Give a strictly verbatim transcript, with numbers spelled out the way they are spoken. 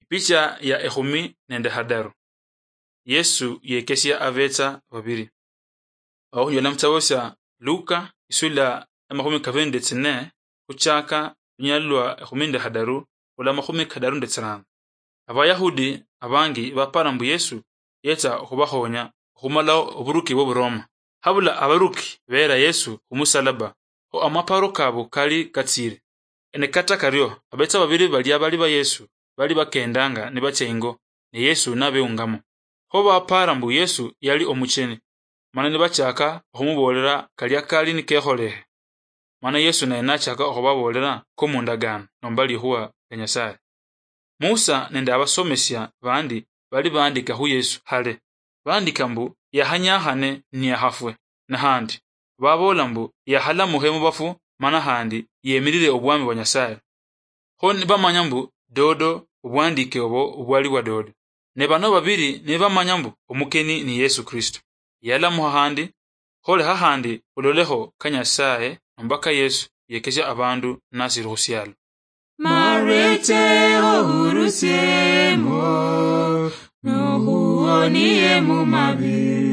Picha ya ekhumi nende hadaru. Yesu yekesia abetsa babiri. Awo khunyola mutsabo sia Luka, isula ya makhumi kabiri nende tsine, khuchaka lunyali lwa ekhumi nende hadaru, khula makhumi kadaru nende tsirano. Abayahudi abangi bapara mbu Yesu yetsa okhubakhonya okhumalaho oburuki bw'Oburoma. Habula abaruki beera Yesu khumusalaba, kho amaparo kabu kali katsiire. Ne kata kario, abetsa babiri balia bali ba Yesu bali bakendanga nibatsia ingo, ne Yesu nabeungamo. Kho bapara mbu Yesu yali omucheni, mana nibachaka okhumuboolera kalia kali nikekholehe. Mana Yesu naye nachaka okhubaboolera komundagano nomba likhuwa lia Nyasaye. Musa nende abasomesia bandi bali bandika khu Yesu hale. Bandika mbu yahanyakhane niyakhafwe, na handi baboola mbu yakhalamukhe mubafu, mana handi yemirire obwami bwa Nyasaye. Kho nibamanya mbu dodo obwandike obo obwali bwa dodo. Ne bano babiri nibamanya mbu omukeni ni Yesu Kristo. Yalamuha handi, kholekha handi ololekho ka Nyasaye nomba ka Yesu yekesia abandu nasiri khusialo. Marwete ohurusiemo, nohuonie mumabi.